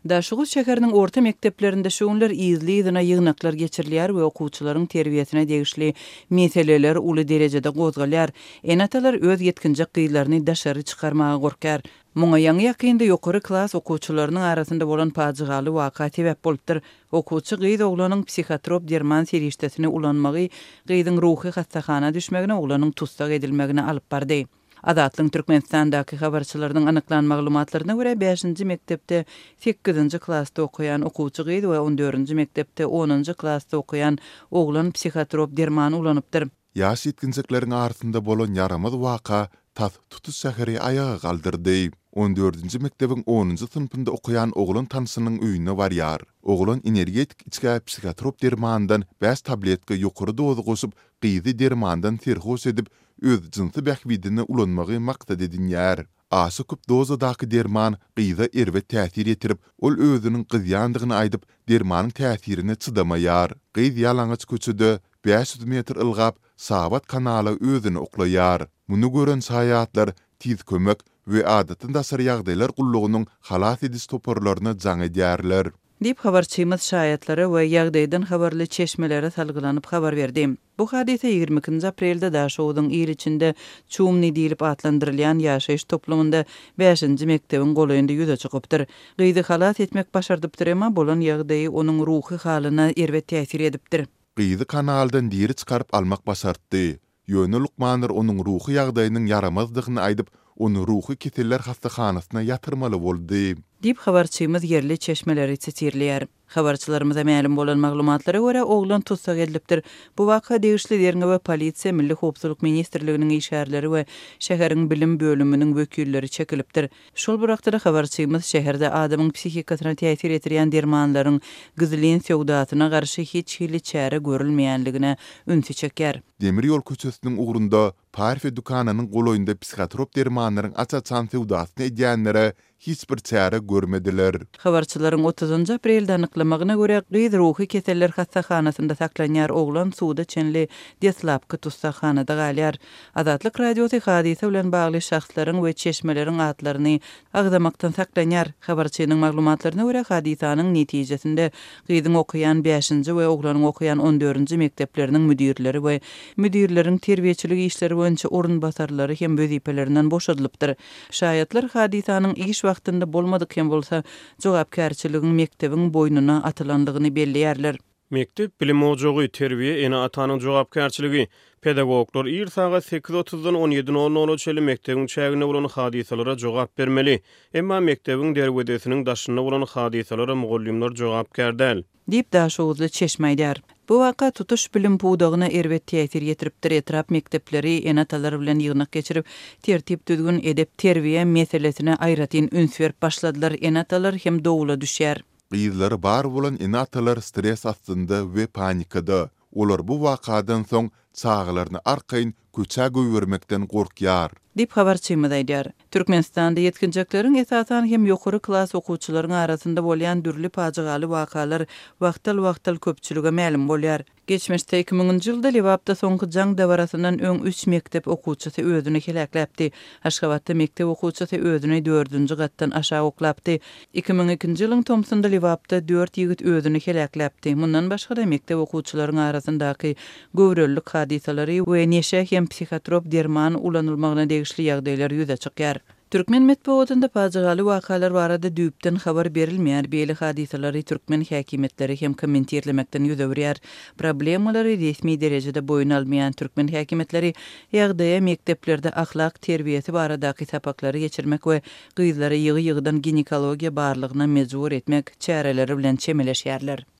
Daşoguz şäheriniň orta mekdeplerinde şu günler yzly-yzyna ýygnaklar geçirilýär we okuwçylaryň terbiýesine degişli meseleler uly derejede gozgalýar. Ene-atalar öz ýetginjek gyzlaryny daşary çykarmaga gorkýar. Muňa ýaňy-ýakynda ýokary klas okuwçylarynyň arasynda bolan pajygaly waka sebäp bolupdyr. Okuwçy gyz oglanyň psihotrop derman serişdesini ulanmagy gyzyň ruhy hassahana düşmegine, oglanyň tussag edilmegine alyp bardy. Azatlygyň Türkmenistandaky habarçylarynyň anyklan maglumatlaryna görä, bäşinji mekdepde sekizinji klasda okaýan okuwçy gyz we on dördünji mekdepde onunjy klasda okaýan oglan psihotrop derman ulanypdyr. Ýaş ýetginjekleriň arasynda bolan ýaramaz waka tas tutuş şäheri aýaga galdyrdy. On dördünji mekdebiň onunjy synpynda okaýan oglan tanşynyň öýüne barýar. Oglan energetik içgä psihotrop dermandan bäş tabletka ýokary doza goşup, gyzy dermandan serhoş edip, öz jynsy bähbidine ulanmagy maksat edinýär. Aşa köp dozadaky derman gyza erbet täsir ýetirip, ol özüniň gyzýandygyny aýdyp, dermanyň täsirine çydamaýar. Gyz ýalaňaç köçede 500 metr ylgap, Şabat kanala özüni oklaýar. Muny gören şaýatlar Tiz kömek we Adatdan daşary ýagdaýlar gullugynyň halas ediş toparlaryna jaň edýärler. Diýip, habarçymyz şaýatlara we ýagdaýdan habarly çeşmelere salgylanyp habar berdi. Bu hadysa 22-nji aprelde Daşoguzyň il içinde Çumny diýlip atlandyrylýan ýaşaýyş toplumynda bäşinji mekdebiň golaýynda ýüze çykypdyr. Gyzy halas etmek başardypdyr, emma bolan ýagdaýy onuň ruhy halyna erbet täsir edipdir. Gyzy kanaldan diri çykaryp almak başartdy. Ýöne lukmanlar onuň ruhy ýagdaýynyň ýaramazdygyny aýdyp, ony ruhy keseller hassahanasyna ýatyrmaly boldy. Diýip, habarçymyz ýerli çeşmeleri sitirleýär. Habarçylarymyza mälim bolan maglumatlara görä, oglan tussag edilipdir. Bu waka degişli derňewe polisiýa, Milli howpsuzlyk ministrliginiň işgärleri we şäheriň bilim bölüminiň wekilleri çekilipdir. Şol bir wagtda-da habarçymyz şäherde adamyň psihikasyna täsir ýetirýän dermanlaryň gizlin söwdasyna garşy hiç hili çäre görülmeýänligine ünsi çekýär. Demir ýol köçesiniň ugrunda Parfiýa dükanynyň golaýynda psihotrop dermanlaryň aç-açan söwdasyny edýänlere hiç bir çäre görmediler. Habarçylaryň otuzynjy aprelde anyklamagyna görä, gyz ruhy keseller hassahanasynda saklanýar, oglan suda çenli deslapky tussaghanada galýar. Azatlyk Radiosy hadysa bilen bagly şahslaryň we çeşmeleriň atlaryny agzamakdan saklanýar. Habarçynyň maglumatlaryna görä, hadysanyň netijesinde gyzyň okaýan bäşinji we oglanyň okaýan on dördünji mekdepleriniň müdirleri we müdirleriň terbiýeçilik işleri boýunça orunbasarlary hem wezipelerinden boşadylypdyr. Şaýatlar hadysanyň iş wagtynda bolmadyk hem bolsa, jogapkärçiligiň mekdebiň boýnuna atylandygyny belleýärler. Mekdep bilim ojagy, terbiýe ene-atanyň jogapkärçiligi. Pedagoglar ir sagat sekiz otuzdan on ýedi nol nola çenli mekdebiň çäginde bolan hadysalara jogap bermeli. Emma mekdebiň derwezesiniň daşynda bolan hadysalara mugallymlar jogapkär däl. Diýip, daşoguzly çeşme aýdýar. Bu waka tutuş bilim pudagyna erbet täsir ýetiripdir, etrap mekdepleri ene-atalar bilen ýygnak geçirip, tertip-düzgün, edep-terbiýe meselesine aýratyn üns berip başladylar, ene-atalar hem dowula düşýär. Gyzlary bar bolan ene-atalar stres astynda we panikada. Olar bu wakadan soň çagalaryny arkaýyn köçä goýbermekden gorkýar. Diýip, habarçymyz aýdýar. Türkmenistanda ýetginjekleriň, esasan hem ýokary klas okuwçylaryň arasynda bolýan dürli pajygaly wakalar wagtal-wagtal köpçülige mälim bolýar. Geçmişde, iki müňünji ýylda Lebapda soňky jaň dabarasyndan öň üç mekdep okuwçysy özüni heläkläpdi. Aşgabatda mekdep okuwçysy özüni dördünji gatdan aşak oklapdy. 2002-nji ýylyň tomsunda Lebapda dört ýigit özüni heläkläpdi. Mundan başga-da, mekdep okuwçylaryň arasyndaky göwrelilik hadysalary we neşe hem psihotrop derman ulanylmagyna degişli ýagdaýlar ýüze çykýar. Türkmen metbugatynda pajygaly wakalar barada düýpden habar berilmeýär, beýle hadysalary türkmen häkimiýetleri hem kommentirlemekden ýüz öwürýär. Problemalary resmi derejede boýun almaýan türkmen häkimiýetleri ýagdaýa mekdeplerde ahlak terbiýesi baradaky sapaklary geçirmek we gyzlary ýygy-ýygydan ginekologiýa barlagyna mejbur etmek çäreleri bilen çemeleşýärler.